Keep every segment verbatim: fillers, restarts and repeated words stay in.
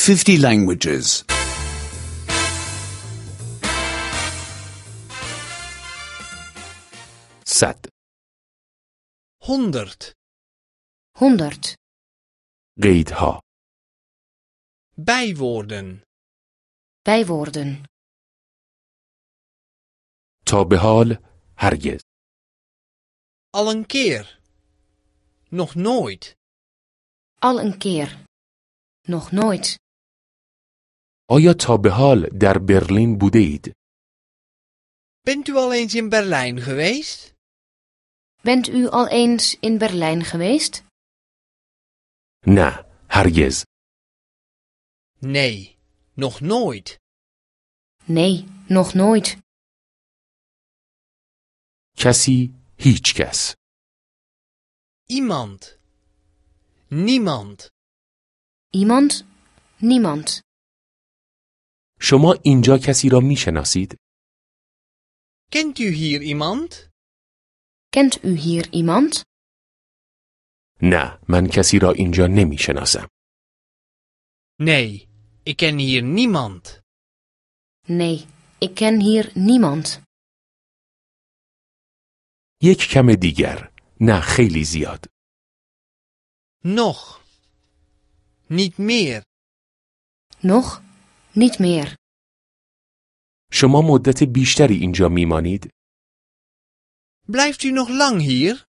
fifty languages. صد. honderd. honderd. قیدها. Bijwoorden. Bijwoorden. تا به حال هرگز. Al een keer. Nog nooit. Al een keer. Nog nooit. آیا تا به حال در برلین بوده اید؟ Bent u al eens in Berlijn geweest? Bent u al eens in Berlijn geweest? نه، هرگز. Nee, nog nooit. Nee, nog nooit. کسی، هیچ کس. Iemand. Niemand. Iemand? Niemand. شما اینجا کسی را میشناسید؟ Kent u hier iemand? Kent u hier iemand? نه، من کسی را اینجا نمیشناسم. Nee, ik ken hier niemand. Nee, ik ken hier niemand. یک کم دیگر. نه، خیلی زیاد. Nog. Niet meer. Nog? Niet meer. شما مدت بیشتری اینجا میمانید؟ Blijft u nog lang hier?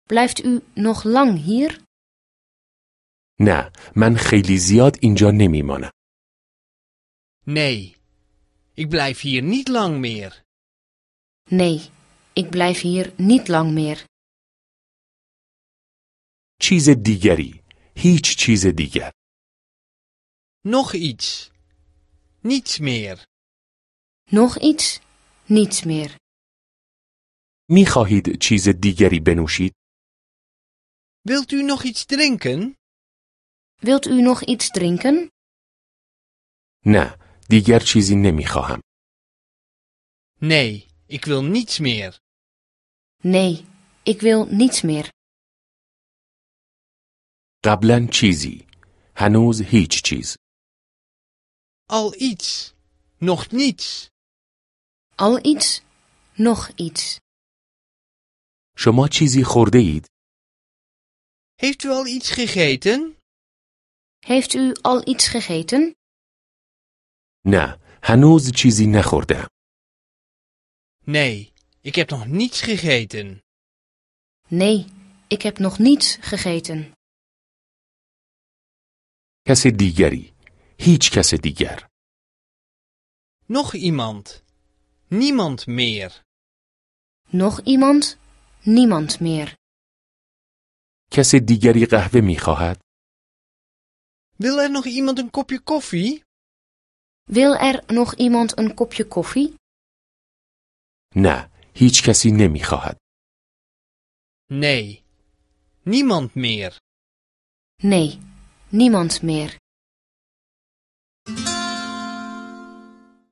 Blijft u nog lang hier? نه، من خیلی زیاد اینجا نمیمانم. Nee, ik blijf hier niet lang meer. Nee, ik blijf hier niet lang meer. چیز دیگری. هیچ چیز دیگر. Nog iets. Niets meer. Nog iets? Niets meer. میخواهید چیز دیگری بنوشید؟ Wilt u nog iets drinken? Wilt u nog iets drinken? نه، دیگر چیزی نمیخواهم. Nee, ik wil niets meer. Nee, ik wil niets meer. قبلا چیزی. هنوز هیچ چیز. Al iets. Nog niets. Al iets? Nog iets. شما چیزی خورده اید؟ Heeft u al iets gegeten? Heeft u al iets gegeten? نه، هنوز چیزی نخوردم. Nee, ik heb nog niets gegeten. Nee, ik heb nog niets gegeten. کس دیگری. هیچ کس دیگر. Nog iemand. Niemand meer. Nog iemand? Niemand meer. کس دیگری قهوه میخواهد؟ Wil er nog iemand een kopje koffie? Wil er nog iemand een kopje koffie? نه، هیچ کسی نمیخواهد. Nee, niemand meer. Nee, niemand meer.